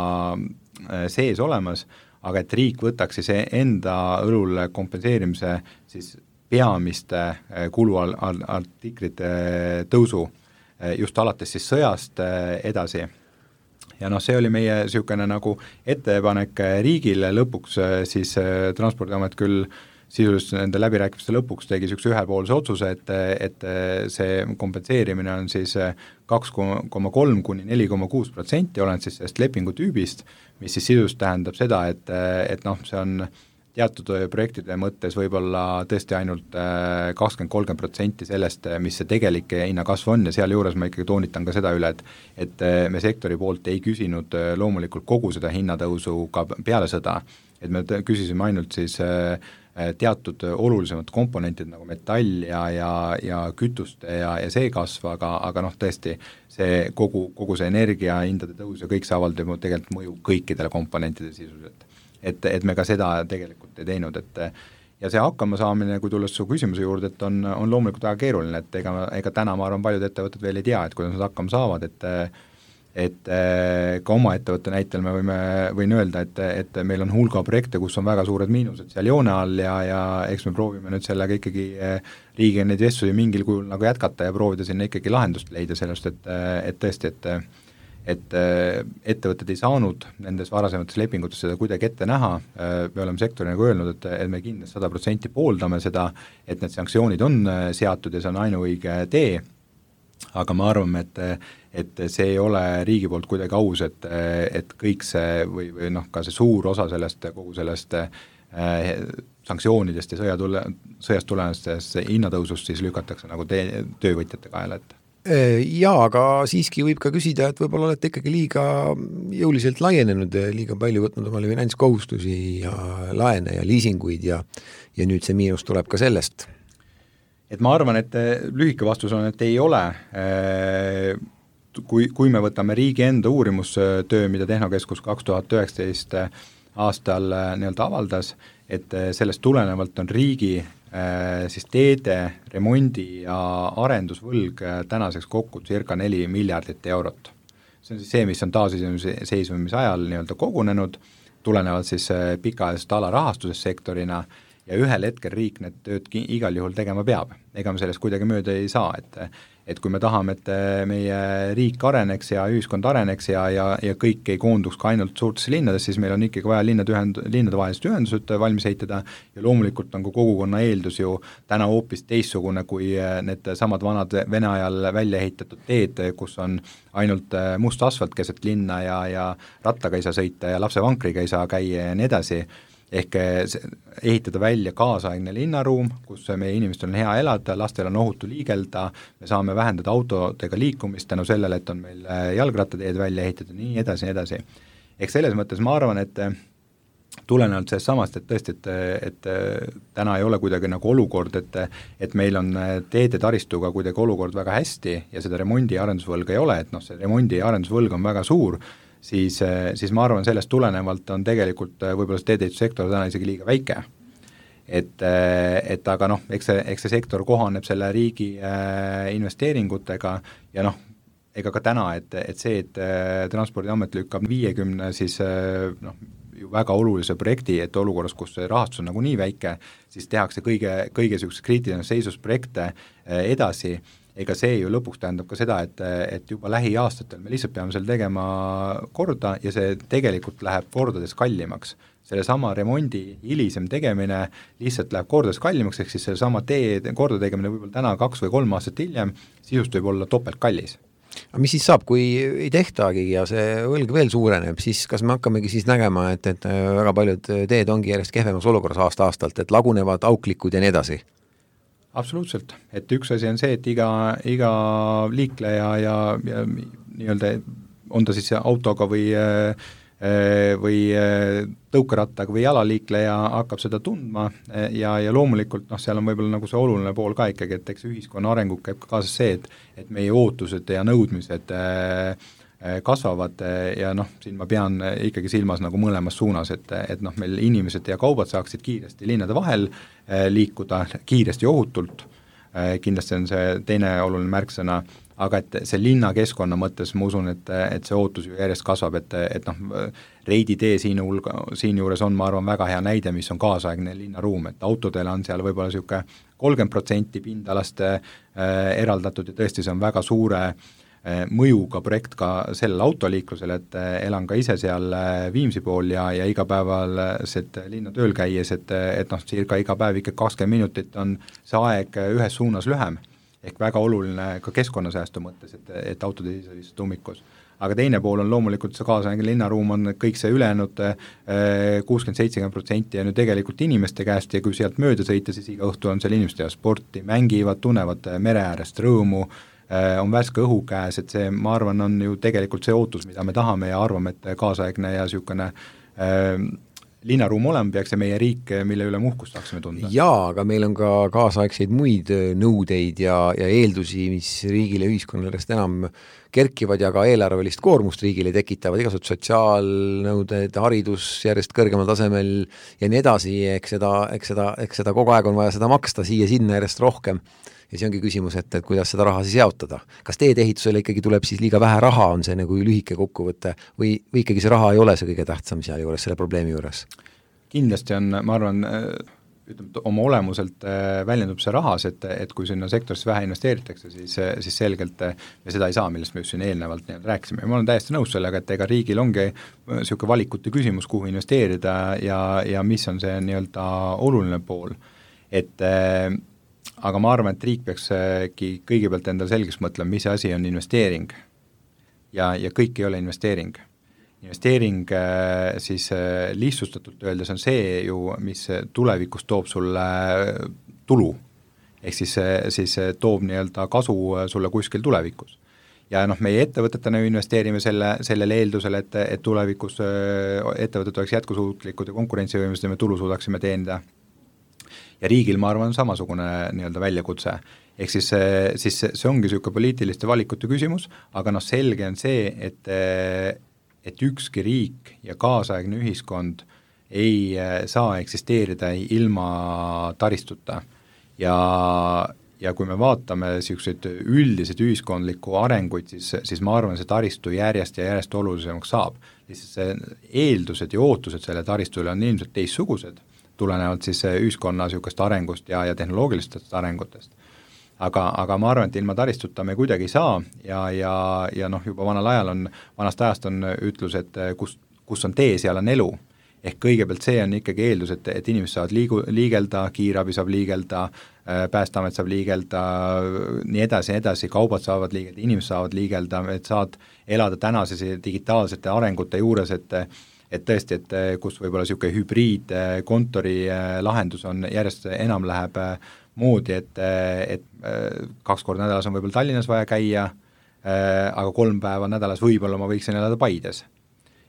sees olemas, aga et riik võtaks siis enda õlul kompenseerimise siis peamiste kuluartiklite tõusu just alates siis sõjast edasi. Ja see oli meie niisugune nagu ettepanek riigile, lõpuks siis Transpordiamet küll sisuliselt nende läbirääkimiste lõpuks tegi niisuguse ühepoolse otsuse, et see kompenseerimine on siis 2,3 kuni 4,6%, olen siis sellest lepingutüübist, mis siis sisuliselt tähendab seda, et see on teatud projektide mõttes võib-olla tõesti ainult 20-30% sellest, mis see tegelik hinnakasv on ja seal juures ma ikkagi toonitan ka seda üle, et me sektori poolt ei küsinud loomulikult kogu seda hinnatõusu ka peale sõda, et me küsisime ainult siis teatud olulisemad komponentid nagu metall ja kütuste ja see kasv, aga tõesti see kogu see energiahindade tõus ja kõik see avaldab tegelikult mõju kõikidele komponentide sisuliselt. Et me ka seda tegelikult ei teinud, ja see hakkama saamine, kui tulles su küsimuse juurde, et on loomulikult väga keeruline, et ega täna ma arvan, paljud ettevõtted veel ei tea, et kuidas nad hakkama saavad, et ka oma ettevõtte näitel me võin öelda, et meil on hulga projekte, kus on väga suured miinused seal joone all ja eks me proovime nüüd sellega ikkagi riigiga neid vestlusi mingil kujul nagu jätkata ja proovida sinna ikkagi lahendust leida sellest, et tõesti, et ettevõtted ei saanud nendes varasemates lepingutes seda kuidagi ette näha, me oleme sektori nagu öelnud, et me kindlasti 100% pooldame seda, et need sanktsioonid on seatud ja see on ainuõige tee, aga me arvame, et see ei ole riigi poolt kuidagi aus, et kõik see või ka see suur osa sellest, kogu sellest sanktsioonidest ja sõjast tulenevast hinnatõusust siis lükatakse nagu töövõtjate kaela ette. Jaa, aga siiski võib ka küsida, et võib-olla olete ikkagi liiga jõuliselt laienenud, liiga palju võtnud omale finantskohustusi ja laene ja liisinguid ja nüüd see miinus tuleb ka sellest. Et ma arvan, et lühike vastus on, et ei ole. Kui me võtame riigi enda uurimustöö, mida Tehnokeskus 2019 aastal nii-öelda avaldas, et sellest tulenevalt on riigi siis teede, remondi ja arendusvõlg tänaseks kokku circa 4 miljardit eurot. See on siis see, mis on taasiseseisvumise ajal nii-öelda kogunenud, tulenevalt siis pikaajalisest alarahastusest sektorina ja ühel hetkel riik need tööd igal juhul tegema peab. Ega me sellest kuidagi mööda ei saa, et kui me tahame, et meie riik areneks ja ühiskond areneks ja kõik ei koonduks ka ainult suurtesse linnadesse, siis meil on ikkagi vaja linnadevahelised ühendused valmis ehitada ja loomulikult on ka kogukonna eeldus ju täna hoopis teistsugune kui need samad vanad Vene ajal välja ehitatud teed, kus on ainult must asfalt keset linna ja rattaga ei saa sõita ja lapsevankriga ei saa käia ja nii edasi. Ehk ehitada välja kaasaegne linnaruum, kus meie inimestel on hea elada, lastel on ohutu liigelda, me saame vähendada autodega liikumist tänu sellele, et on meil jalgrattateed välja ehitada, nii edasi, nii edasi. Ehk selles mõttes ma arvan, et tulenevalt sellest samast, et tõesti, et täna ei ole kuidagi nagu olukord, et meil on teede taristuga kuidagi olukord väga hästi ja seda remondi ja arendusvõlga ei ole, et see remondi ja arendusvõlg on väga suur, siis ma arvan, sellest tulenevalt on tegelikult võib-olla see teedeehitussektor täna isegi liiga väike. Et aga eks see sektor kohaneb selle riigi investeeringutega ja ega ka täna, et see, et Transpordiamet lükkab 50 siis ju väga olulise projekti, et olukorras, kus see rahastus on nagu nii väike, siis tehakse kõige selliseks kriitiline seisus projekte edasi. Ega see ju lõpuks tähendab ka seda, et juba lähiaastatel me lihtsalt peame selle tegema korda ja see tegelikult läheb kordades kallimaks. Selle sama remondi hilisem tegemine lihtsalt läheb kordades kallimaks, ehk siis selle sama tee korda tegemine võib-olla täna 2 või 3 aastat hiljem, sisust võib olla topelt kallis. Aga mis siis saab, kui ei tehtagi ja see võlg veel suureneb, siis kas me hakkamegi siis nägema, et väga paljud teed ongi järjest kehvemas olukorras aasta-aastalt, et lagunevad auklikud ja nii edasi? Absoluutselt, et üks asi on see, et iga liikleja ja nii-öelda on ta siis autoga või tõukerattaga või jalaliikleja hakkab seda tundma ja loomulikult seal on võib-olla nagu see oluline pool ka ikkagi, et eks ühiskonna arengut käib ka kaasas see, et meie ootused ja nõudmised kasvavad ja siin ma pean ikkagi silmas nagu mõlemas suunas, et meil inimesed ja kaubad saaksid kiiresti linnade vahel liikuda kiiresti ja ohutult, kindlasti on see teine oluline märksõna, aga et see linnakeskkonna mõttes ma usun, et see ootus ju järjest kasvab, et Reidi tee siin juures on, ma arvan, väga hea näide, mis on kaasaegne linnaruum, et autodele on seal võib-olla niisugune 30% pindalast eraldatud ja tõesti see on väga suure mõjuga projekt ka sellele autoliiklusele, et elan ka ise seal Viimsi pool ja igapäevaliselt linna tööl käies, et circa iga päev ikka 20 minutit on see aeg ühes suunas lühem, ehk väga oluline ka keskkonnasäästu mõttes, et autod ei seisa lihtsalt ummikus. Aga teine pool on loomulikult see kaasaegne linnaruum on kõik see ülejäänud 60-70% ja nüüd tegelikult inimeste käest ja kui sealt mööda sõita, siis iga õhtu on seal inimeste ja sporti, mängivad, tunnevad mere äärest rõõmu, on värske õhu käes, et see, ma arvan, on ju tegelikult see ootus, mida me tahame ja arvame, et kaasaegne ja niisugune linnaruum olema peaks ja meie riik, mille üle muhkust tahaksime tunda. Jaa, aga meil on ka kaasaegseid muid nõudeid ja eeldusi, mis riigile ja ühiskonnale enam kerkivad ja ka eelarvelist koormust riigile tekitavad, igasugused sotsiaalnõuded, haridus järjest kõrgemal tasemel ja nii edasi, eks seda kogu aeg on vaja seda maksta siia-sinna järjest rohkem. Ja see ongi küsimus, et kuidas seda raha siis jaotada. Kas teedeehitusele ikkagi tuleb siis liiga vähe raha, on see nagu lühike kokkuvõte või ikkagi see raha ei ole see kõige tähtsam seal juures, selle probleemi juures? Kindlasti on, ma arvan, oma olemuselt väljendub see rahas, et kui sinna sektorisse vähe investeeritakse, siis selgelt me seda ei saa, millest me just siin eelnevalt rääkisime. Ma olen täiesti nõus sellega, et ega riigil ongi niisugune valikute küsimus, kuhu investeerida ja mis on see nii-öelda oluline pool. Aga ma arvan, et riik peakski kõigepealt endale selgeks mõtlema, mis asi on investeering. Ja kõik ei ole investeering. Investeering siis lihtsustatult öeldes on see ju, mis tulevikus toob sulle tulu. Ehk siis toob nii-öelda kasu sulle kuskil tulevikus. Ja meie ettevõtetena investeerime sellele eeldusele, et tulevikus ettevõtted oleks jätkusuutlikud ja konkurentsivõimelised ja me tulu suudaksime teenida. Ja riigil, ma arvan, on samasugune nii-öelda väljakutse. Ehk siis see ongi niisugune poliitiliste valikute küsimus, aga selge on see, et ükski riik ja kaasaegne ühiskond ei saa eksisteerida ilma taristuta. Ja kui me vaatame niisuguseid üldiseid ühiskondlikku arenguid, siis ma arvan, see taristu järjest ja järjest olulisemaks saab. Lihtsalt see eeldused ja ootused selle taristule on ilmselt teistsugused, tulenevalt siis ühiskonna niisugust arengust ja tehnoloogilistest arengutest. Aga ma arvan, et ilma taristuta me kuidagi ei saa ja noh, juba vanast ajast on ütlus, et kus on tee, seal on elu. Ehk kõigepealt see on ikkagi eeldus, et inimesed saavad liigelda, kiirabi saab liigelda, Päästeamet saab liigelda, nii edasi, kaubad saavad liigelda, inimesed saavad liigelda, et saad elada tänases digitaalsete arengute juures, et tõesti, et kus võib-olla niisugune hübriidkontori lahendus on järjest enam läheb moodi, et 2 korda nädalas on võib-olla Tallinnas vaja käia, aga 3 päeva nädalas võib-olla ma võiksin elada Paides.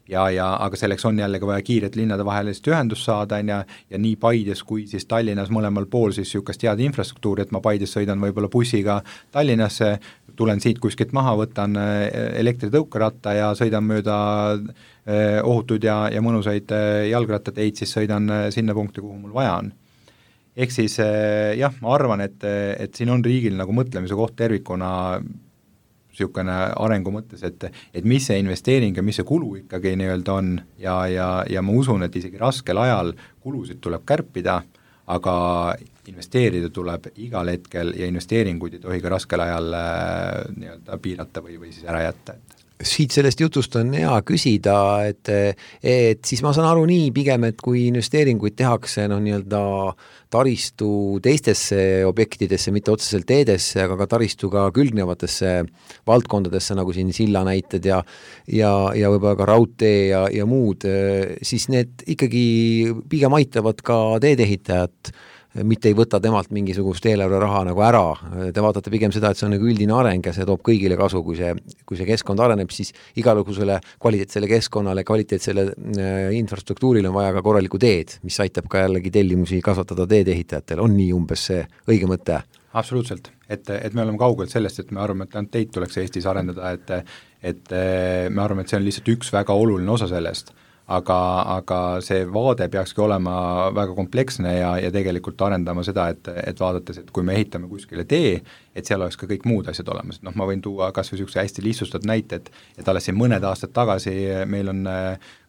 Aga selleks on jällegi vaja kiiret linnade vahelist ühendust saada ja nii Paides kui siis Tallinnas mõlemal pool siis niisugust head infrastruktuuri, et ma Paides sõidan võib-olla bussiga Tallinnasse, tulen siit kuskilt maha, võtan elektritõukeratta ja sõidan mööda ohutud ja mõnusaid jalgrattateid, siis sõidan sinna punkti, kuhu mul vaja on. Ehk siis jah, ma arvan, et siin on riigil nagu mõtlemise koht tervikuna niisugune arengu mõttes, et mis see investeering ja mis see kulu ikkagi nii-öelda on ja ma usun, et isegi raskel ajal kulusid tuleb kärpida, aga investeerida tuleb igal hetkel ja investeeringuid ei tohi ka raskel ajal nii-öelda piirata või siis ära jätta. Siit sellest jutust on hea küsida, et siis ma saan aru nii pigem, et kui investeeringuid tehakse nii-öelda taristu teistesse objektidesse, mitte otseselt teedesse, aga ka taristuga külgnevatesse valdkondadesse, nagu siin silla näited ja võib-olla ka raudtee ja muud, siis need ikkagi pigem aitavad ka teedehitajat, mitte ei võta temalt mingisugust eelarve raha nagu ära. Te vaatate pigem seda, et see on nagu üldine areng ja see toob kõigile kasu, kui see keskkond areneb, siis igalugusele kvaliteetsele keskkonnale, kvaliteetsele infrastruktuurile on vaja ka korralikku teed, mis aitab ka jällegi tellimusi kasvatada teedehitajatele. On nii umbes see õige mõte? Absoluutselt, et me oleme kaugelt sellest, et me arvame, et ainult teid tuleks Eestis arendada, et me arvame, et see on lihtsalt üks väga oluline osa sellest. Aga see vaade peakski olema väga kompleksne ja tegelikult arendama seda, et vaadates, et kui me ehitame kuskile tee, et seal oleks ka kõik muud asjad olemas. Noh, ma võin tuua kas või niisuguse hästi lihtsustatud näite, et alles siin mõned aastad tagasi meil on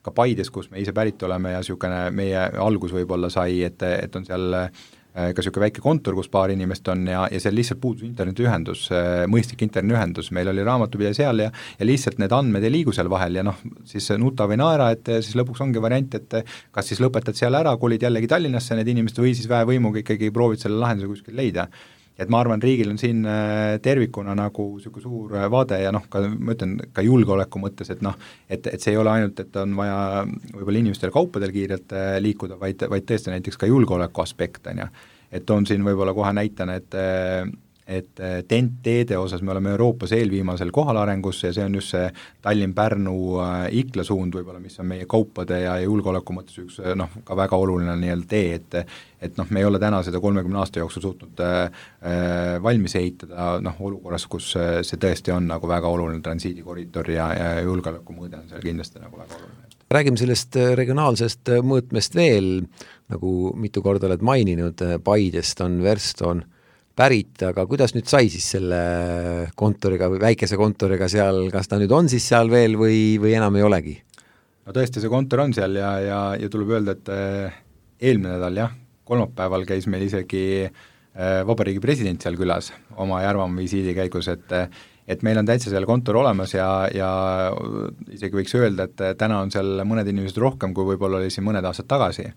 ka Paides, kus me ise pärit oleme ja niisugune meie algus võib-olla sai, et on seal ka niisugune väike kontor, kus paar inimest on ja seal lihtsalt puudus internetiühendus, mõistlik internetiühendus, meil oli raamatupidaja seal ja lihtsalt need andmed ei liigu seal vahel ja noh, siis nuta või naera, et siis lõpuks ongi variant, et kas siis lõpetad seal ära, kolid jällegi Tallinnasse need inimesed või siis väevõimuga ikkagi proovid selle lahenduse kuskil leida. Et ma arvan, riigil on siin tervikuna nagu niisugune suur vaade ja noh, ma ütlen ka julgeoleku mõttes, et noh, et see ei ole ainult, et on vaja võib-olla inimestel kaupadel kiirelt liikuda, vaid tõesti näiteks ka julgeoleku aspekt on ja. Et on siin võib-olla kohe näitana, et TEN-teede osas me oleme Euroopas eelviimasel kohal arengusse ja see on just see Tallinn-Pärnu-Ikla suund võib-olla, mis on meie kaupade ja julgeoleku mõttes üks noh, ka väga oluline nii-öelda tee, et noh, me ei ole täna seda 30 aasta jooksul suutnud valmis ehitada noh, olukorras, kus see tõesti on nagu väga oluline transiidikoridor ja julgeoleku mõõde on seal kindlasti nagu väga oluline. Räägime sellest regionaalsest mõõtmest veel, nagu mitu korda oled maininud, Paidest on Verston pärit, aga kuidas nüüd sai siis selle kontoriga või väikese kontoriga seal, kas ta nüüd on siis seal veel või enam ei olegi? No tõesti, see kontor on seal ja tuleb öelda, et eelmine nädal jah, kolmapäeval käis meil isegi vabariigi president seal külas oma Järvamaa visiidi käigus, et meil on täitsa seal kontor olemas ja isegi võiks öelda, et täna on seal mõned inimesed rohkem, kui võib-olla oli siin mõned aastad tagasi.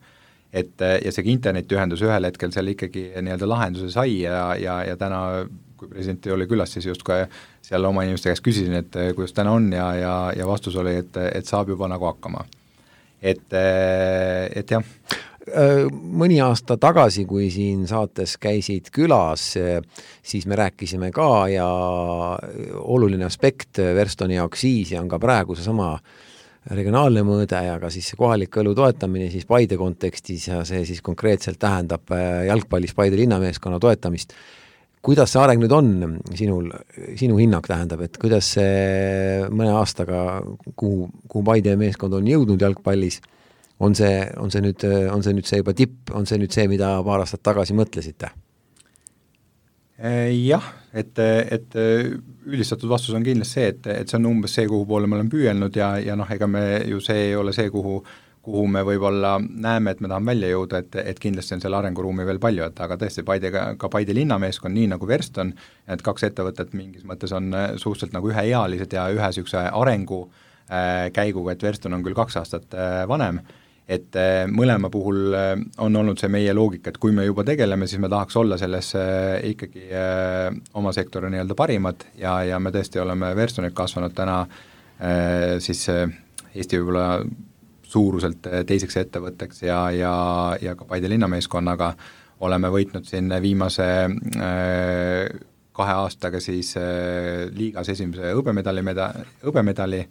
Ja see internetiühendus ühel hetkel seal ikkagi nii-öelda lahenduse sai ja täna, kui president oli külas, siis just ka seal oma inimeste käest küsisin, et kuidas täna on ja vastus oli, et saab juba nagu hakkama. Et jah. Mõni aasta tagasi, kui siin saates käisid külas, siis me rääkisime ka ja oluline aspekt Verstoni jaoks siis ja on ka praegu seesama regionaalne mõõde ja ka siis kohalik elu toetamine siis Paide kontekstis ja see siis konkreetselt tähendab jalgpallis Paide linnameeskonna toetamist. Kuidas see areng nüüd on sinu hinnang tähendab, et kuidas see mõne aastaga, kuhu Paide meeskond on jõudnud jalgpallis, on see nüüd see juba tipp, on see nüüd see, mida paar aastat tagasi mõtlesite? Jah, et üldistatud vastus on kindlasti see, et see on umbes see, kuhu poole me oleme püüelnud ja noh, ega me ju see ei ole see, kuhu kuhu me võib-olla näeme, et me tahame välja jõuda, et kindlasti on selle arenguruumi veel palju, et aga tõesti ka Paide linnameeskond, nii nagu Verston, et 2 ettevõtet mingis mõttes on suhteliselt nagu üheealised ja ühe niisuguse arengu käiguga, et Verston on küll 2 aastat vanem, et mõlema puhul on olnud see meie loogika, et kui me juba tegeleme, siis me tahaks olla selles ikkagi oma sektori nii-öelda parimad ja me tõesti oleme Verstonilt kasvanud täna siis Eesti võib-olla suuruselt teiseks ettevõtteks ja ka Paide linnameeskonnaga oleme võitnud siin viimase 2 aastaga siis liigas esimese hõbemedali,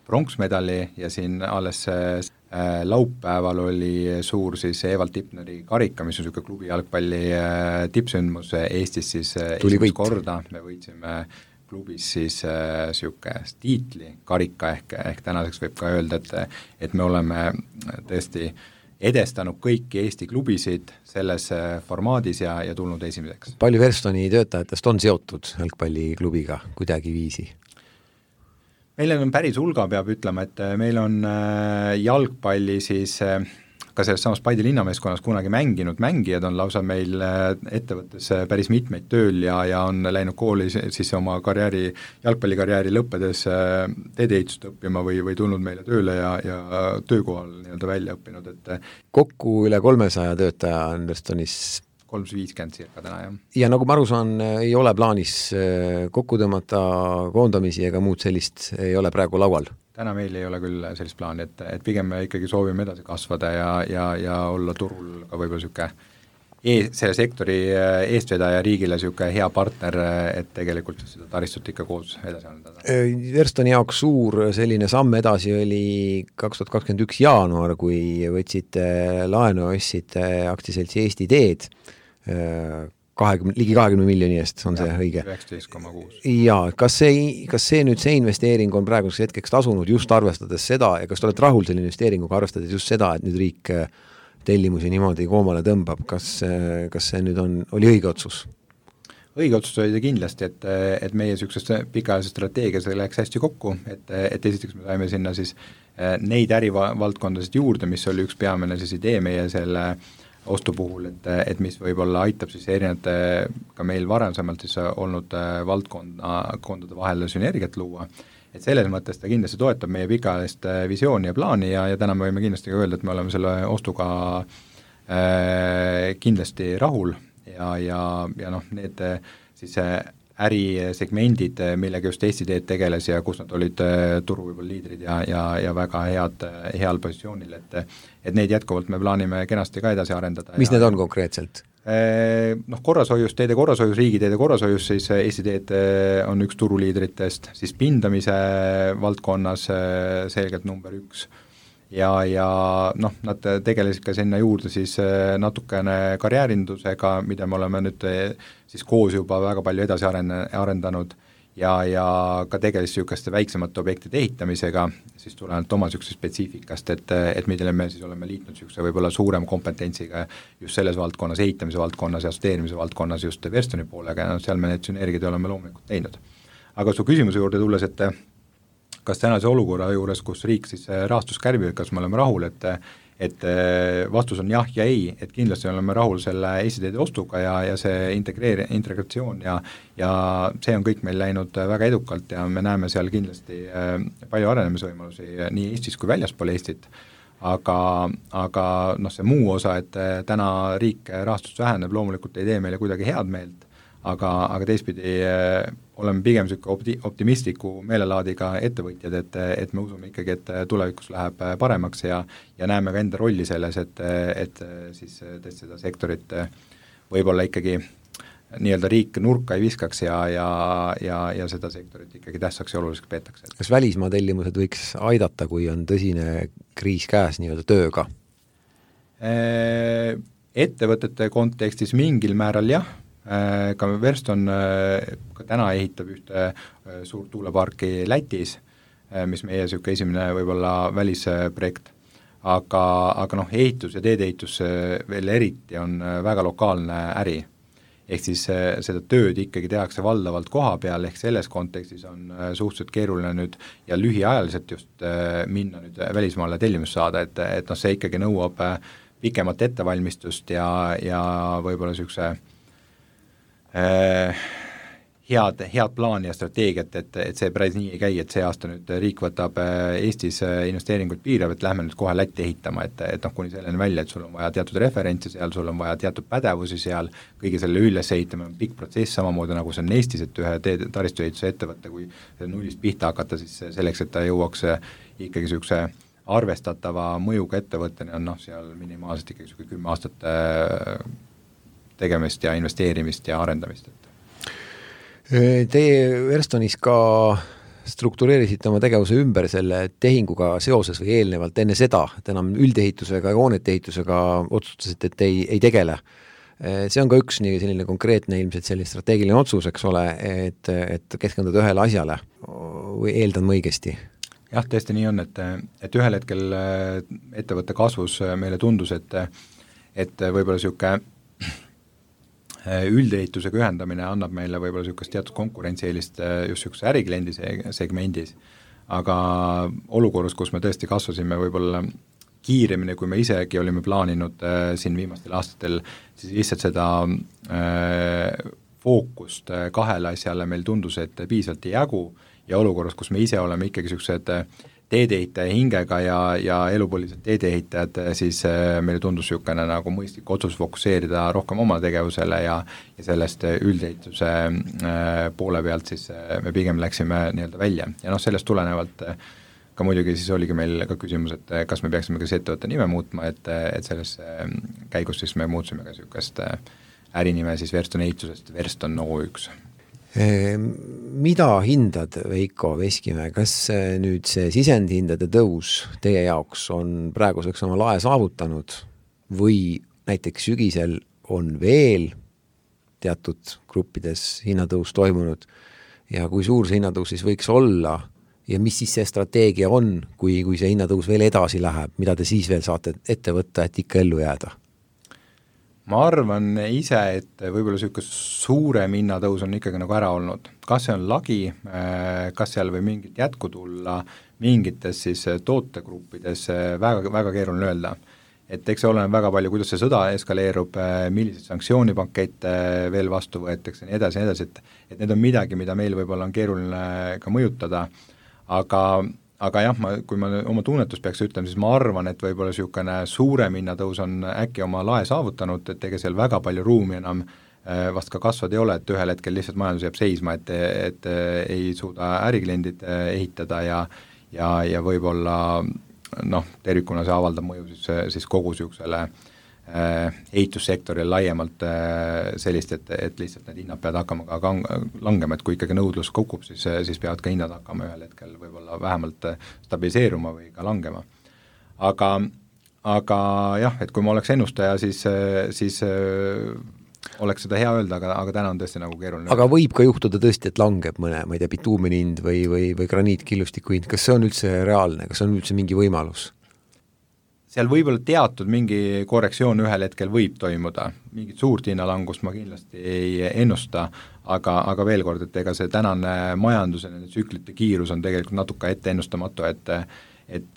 pronksmedali ja siin alles laupäeval oli suur siis Evald Tipneri karika, mis on niisugune klubi jalgpalli tippsündmus Eestis siis esimest korda, me võitsime klubis siis niisugune tiitli karika ehk tänaseks võib ka öelda, et me oleme tõesti edestanud kõiki Eesti klubisid selles formaadis ja tulnud esimeseks. Palju Verstoni töötajatest on seotud jalgpalliklubiga kuidagiviisi? Meil on päris hulga, peab ütlema, et meil on jalgpalli siis ka selles samas Paide linnameeskonnas kunagi mänginud mängijad on lausa meil ettevõttes päris mitmeid tööl ja on läinud kooli siis oma jalgpallikarjääri lõppedes teedeehitust õppima või tulnud meile tööle ja töökohal nii-öelda välja õppinud, et kokku üle 300 töötaja on Verstonis 350 cirka täna, jah. Ja nagu ma aru saan, ei ole plaanis kokku tõmmata koondamisi ega muud sellist ei ole praegu laual? Täna meil ei ole küll sellist plaani, et pigem me ikkagi soovime edasi kasvada ja olla turul ka võib-olla niisugune selle sektori eestvedaja riigile niisugune hea partner, et tegelikult seda taristut ikka koos edasi arendada. Verstoni jaoks suur selline samm edasi oli 2021 jaanuar, kui võtsite laenu ostsite aktsiaseltsi Eesti Teed ligi 20 miljoni eest, on see õige? 19,6. Jaa, kas see nüüd see investeering on praeguseks hetkeks tasunud just arvestades seda ja kas te olete rahul selle investeeringuga arvestades just seda, et nüüd riik tellimusi niimoodi koomale tõmbab, kas see nüüd oli õige otsus? Õige otsus oli see kindlasti, et meie niisugusest pikaajalise strateegias läks hästi kokku, et esiteks me saime sinna siis neid ärivaldkondasid juurde, mis oli üks peamine siis idee meie selle ostu puhul, et mis võib-olla aitab siis erinevate ka meil varasemalt siis olnud valdkondade vahel sünergiat luua, et selles mõttes ta kindlasti toetab meie pikaajalist visiooni ja plaani ja täna me võime kindlasti ka öelda, et me oleme selle ostuga kindlasti rahul ja noh, need siis ärisegmendid, millega just Eesti Teed tegeles ja kus nad olid turu võib-olla liidrid ja väga heal positsioonil, et neid jätkuvalt me plaanime kenasti ka edasi arendada. Mis need on konkreetselt? Korrashoius, teede korrashoius, riigiteede korrashoius, siis Eesti Teed on üks turuliidritest, siis pindamise valdkonnas selgelt number 1 ja nad tegelesid ka sinna juurde siis natukene karjäärindusega, mida me oleme nüüd siis koos juba väga palju edasi arendanud ja ka tegeles niisuguste väiksemate objektide ehitamisega, siis tulenevalt oma niisuguse spetsiifikast, et millele me siis oleme liitnud niisuguse võib-olla suurem kompetentsiga just selles valdkonnas, ehitamise valdkonnas ja asteerimise valdkonnas just Verstoni poolega ja seal me need sünergid oleme loomulikult teinud. Aga su küsimuse juurde tulles, et kas tänase olukorra juures, kus riik siis rahastus kärbib, kas me oleme rahul, et vastus on jah ja ei, et kindlasti oleme rahul selle Eesti Teede ostuga ja see integratsioon ja see on kõik meil läinud väga edukalt ja me näeme seal kindlasti palju arenemisvõimalusi nii Eestis kui väljaspool Eestit, aga see muu osa, et täna riik rahastust väheneb, loomulikult ei tee meile kuidagi head meelt, aga teistpidi oleme pigem optimistliku meelelaadiga ettevõtjad, et me usume ikkagi, et tulevikus läheb paremaks ja näeme ka enda rolli selles, et siis tõesti seda sektorit võib-olla ikkagi nii-öelda riik nurka ei viskaks ja seda sektorit ikkagi tähtsaks ja oluliseks peetakse. Kas välismaa tellimused võiks aidata, kui on tõsine kriis käes nii-öelda tööga? Ettevõtete kontekstis mingil määral jah, ka Verston ka täna ehitab ühte suurt tuuleparki Lätis, mis meie niisugune esimene võib-olla välisprojekt, aga ehitus ja teedeehitus veel eriti on väga lokaalne äri ehk siis seda tööd ikkagi tehakse valdavalt koha peal, ehk selles kontekstis on suhteliselt keeruline nüüd ja lühiajaliselt just minna nüüd välismaale tellimust saada, et see ikkagi nõuab pikemat ettevalmistust ja võib-olla niisuguse head plaani ja strateegiat, et see päris nii ei käi, et see aasta nüüd riik võtab Eestis investeeringuid piirav, et lähme nüüd kohe Lätti ehitama, et kuni selleni välja, et sul on vaja teatud referentsi seal, sul on vaja teatud pädevusi seal, kõige selle üles ehitama on pikk protsess, samamoodi nagu see on Eestis, et ühe taristuehituse ettevõtte, kui nullist pihta hakata, siis selleks, et ta jõuaks ikkagi niisuguse arvestatava mõjuga ettevõtteni on seal minimaalselt ikkagi 10 aastat tegemist ja investeerimist ja arendamist. Teie Verstonis ka struktureerisite oma tegevuse ümber selle tehinguga seoses või eelnevalt enne seda, et enam üldehitusega ja hoonete ehitusega otsustasite, et ei tegele. See on ka üks nii selline konkreetne ilmselt selline strateegiline otsus, eks ole, et keskenduda ühele asjale või eeldan ma õigesti? Jah, tõesti nii on, et ühel hetkel ettevõtte kasvus meile tundus, et võib-olla niisugune üldehitusega ühendamine annab meile võib-olla niisugust teatud konkurentsieelist just niisuguse ärikliendi segmendis, aga olukorras, kus me tõesti kasvasime võib-olla kiiremini, kui me isegi olime plaaninud siin viimastel aastatel, siis lihtsalt seda fookust kahele asjale meil tundus, et piisavalt ei jagu ja olukorras, kus me ise oleme ikkagi niisugused teedeehitaja hingega ja elupõlised teedeehitajad, siis meile tundus niisugune nagu mõistlik otsus fokusseerida rohkem oma tegevusele ja sellest üldehituse poole pealt siis me pigem läksime nii-öelda välja. Ja sellest tulenevalt ka muidugi siis oligi meil ka küsimus, et kas me peaksime kas ettevõtte nime muutma, et selles käigus siis me muutsime ka niisugust ärinime siis Verston ehitusest Verston O1. Mida hindad, Veiko Veskimäe, kas nüüd see sisendhindade tõus teie jaoks on praeguseks oma lae saavutanud või näiteks sügisel on veel teatud gruppides hinnatõus toimunud ja kui suur see hinnatõus siis võiks olla ja mis siis see strateegia on, kui see hinnatõus veel edasi läheb, mida te siis veel saate ette võtta, et ikka ellu jääda? Ma arvan ise, et võib-olla niisugune suurem hinnatõus on ikkagi nagu ära olnud. Kas see on lagi, kas seal või mingit jätku tulla, mingites siis tootegruppides väga, väga keeruline öelda. Et eks see oleneb väga palju, kuidas see sõda eskaleerub, millised sanktsioonipakette veel vastu võetakse, nii edasi, et need on midagi, mida meil võib-olla on keeruline ka mõjutada, aga jah, kui ma oma tunnetust peaks ütlema, siis ma arvan, et võib-olla niisugune suurem hinnatõus on äkki oma lae saavutanud, et ega seal väga palju ruumi enam vast ka kasvad ei ole, et ühel hetkel lihtsalt majandus jääb seisma, et ei suuda ärikliendid ehitada ja võib-olla tervikuna see avaldab mõju siis kogu niisugusele ehitussektoril laiemalt sellist, et lihtsalt need hinnad peavad hakkama ka langema, et kui ikkagi nõudlus kukub, siis peavad ka hinnad hakkama ühel hetkel võib-olla vähemalt stabiliseeruma või ka langema. Aga jah, et kui ma oleks ennustaja, siis oleks seda hea öelda, aga täna on tõesti nagu keeruline. Aga võib ka juhtuda tõesti, et langeb mõne, ma ei tea, bituumeni hind või graniitkillustiku hind, kas see on üldse reaalne, kas on üldse mingi võimalus? Seal võib-olla teatud mingi korrektsioon ühel hetkel võib toimuda, mingit suurt hinnalangust ma kindlasti ei ennusta, aga veel kord, et ega see tänane majanduse tsüklite kiirus on tegelikult natuke ette ennustamatu, et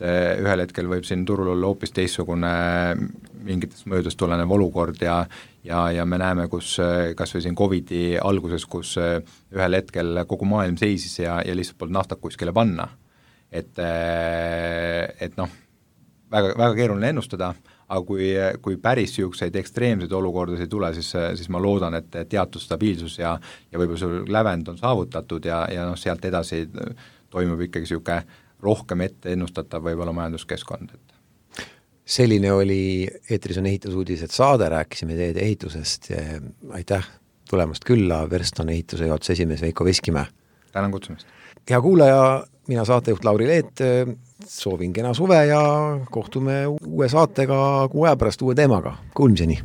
ühel hetkel võib siin turul olla hoopis teistsugune mingitest mõjudest tulenev olukord ja me näeme, kus kas või siin COVID-i alguses, kus ühel hetkel kogu maailm seisis ja lihtsalt polnud naftat kuskile panna, et väga, väga keeruline ennustada, aga kui päris niisuguseid ekstreemseid olukordasid ei tule, siis ma loodan, et teatud stabiilsus ja võib-olla sul lävend on saavutatud ja sealt edasi toimub ikkagi niisugune rohkem ette ennustatav võib-olla majanduskeskkond. Selline oli eetris on ehitusuudised saade, rääkisime teede ehitusest. Aitäh tulemast külla, Verston ehituse juhatuse esimees Veiko Veskimäe. Tänan kutsumist. Hea kuulaja, mina saatejuht Lauri Leet, soovin kena suve ja kohtume uue saatega kuu aja pärast uue teemaga. Kuulmiseni!